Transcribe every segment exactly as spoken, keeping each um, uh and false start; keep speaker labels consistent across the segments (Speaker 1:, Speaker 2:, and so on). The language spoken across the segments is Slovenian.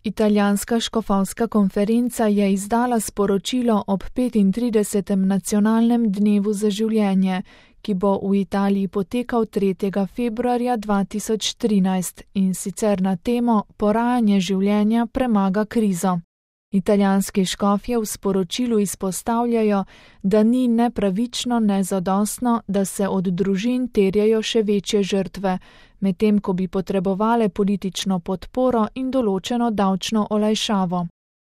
Speaker 1: Italijanska škofovska konferenca je izdala sporočilo ob petintridesetem nacionalnem dnevu za življenje, ki bo v Italiji potekal tretjega februarja dva tisoč trinajst, in sicer na temo Porajanje življenja premaga krizo. Italijanski škofje v sporočilu izpostavljajo, da ni ne pravično, ne zadostno, da se od družin terjajo še večje žrtve, medtem ko bi potrebovale politično podporo in določeno davčno olajšavo.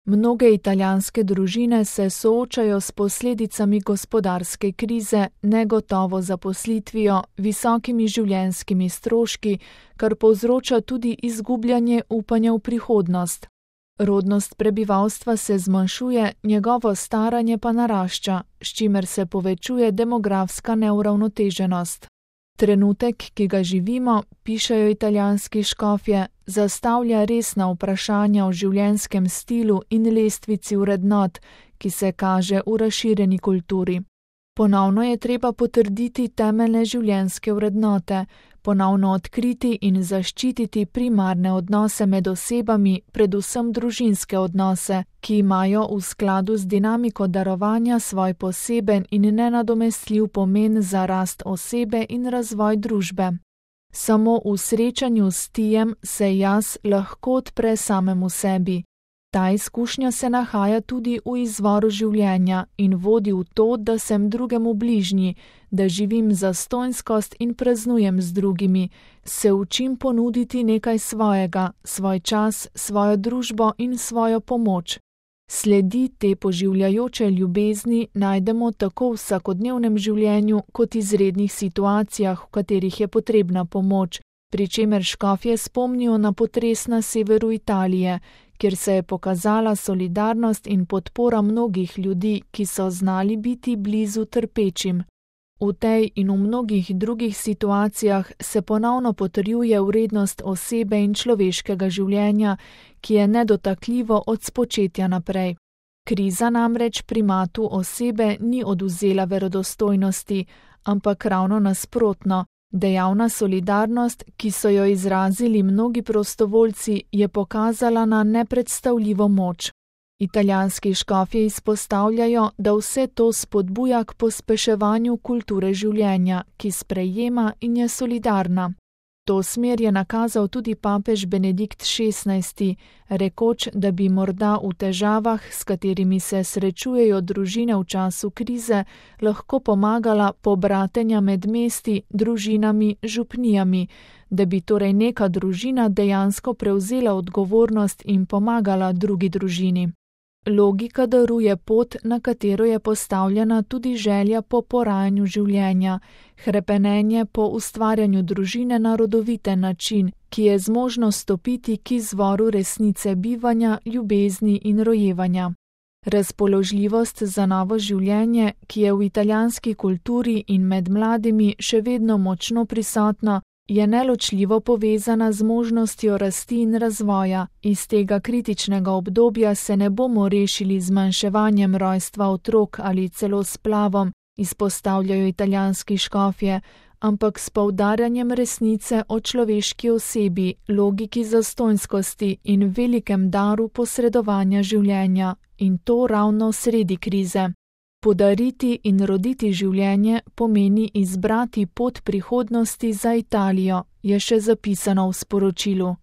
Speaker 1: Mnoge italijanske družine se soočajo s posledicami gospodarske krize, negotovo zaposlitvijo, visokimi življenjskimi stroški, kar povzroča tudi izgubljanje upanja v prihodnost. Rodnost prebivalstva se zmanjšuje, njegovo staranje pa narašča, s čimer se povečuje demografska neuravnoteženost. Trenutek, ki ga živimo, pišejo italijanski škofje, zastavlja resna vprašanja o življenjskem stilu in lestvici vrednot, ki se kaže v razširjeni kulturi. Ponovno je treba potrditi temeljne življenjske vrednote, ponovno odkriti in zaščititi primarne odnose med osebami, predvsem družinske odnose, ki imajo v skladu z dinamiko darovanja svoj poseben in nenadomestljiv pomen za rast osebe in razvoj družbe. Samo v srečanju s tijem se jaz lahko odpre samemu sebi. Ta izkušnja se nahaja tudi v izvoru življenja in vodi v to, da sem drugemu bližnji, da živim zastonjskost in praznujem z drugimi, se učim ponuditi nekaj svojega, svoj čas, svojo družbo in svojo pomoč. Sledi te poživljajoče ljubezni najdemo tako v vsakodnevnem življenju kot izrednih situacijah, v katerih je potrebna pomoč, pri čemer škofje spomnijo na potres na severu Italije, kjer se je pokazala solidarnost in podpora mnogih ljudi, ki so znali biti blizu trpečim. V tej in v mnogih drugih situacijah se ponovno potrjuje vrednost osebe in človeškega življenja, ki je nedotakljivo od spočetja naprej. Kriza namreč primatu osebe ni odvzela verodostojnosti, ampak ravno nasprotno. Dejavna solidarnost, ki so jo izrazili mnogi prostovoljci, je pokazala na nepredstavljivo moč. Italijanski škofje izpostavljajo, da vse to spodbuja k pospeševanju kulture življenja, ki sprejema in je solidarna. To smer je nakazal tudi papež Benedikt šestnajsti, rekoč, da bi morda v težavah, s katerimi se srečujejo družine v času krize, lahko pomagala pobratenja med mesti, družinami, župnijami, da bi torej neka družina dejansko prevzela odgovornost in pomagala drugi družini. Logika daruje pot, na katero je postavljena tudi želja po porajanju življenja, hrepenenje po ustvarjanju družine na rodoviten način, ki je zmožno stopiti k izvoru resnice bivanja, ljubezni in rojevanja. Razpoložljivost za novo življenje, ki je v italijanski kulturi in med mladimi še vedno močno prisotna, je neločljivo povezana z možnostjo rasti in razvoja. Iz tega kritičnega obdobja se ne bomo rešili z zmanjševanjem rojstva otrok ali celo splavom, izpostavljajo italijanski škofje, ampak s poudarjanjem resnice o človeški osebi, logiki zastonjskosti in velikem daru posredovanja življenja, in to ravno sredi krize. Podariti in roditi življenje pomeni izbrati pot prihodnosti za Italijo, je še zapisano v sporočilu.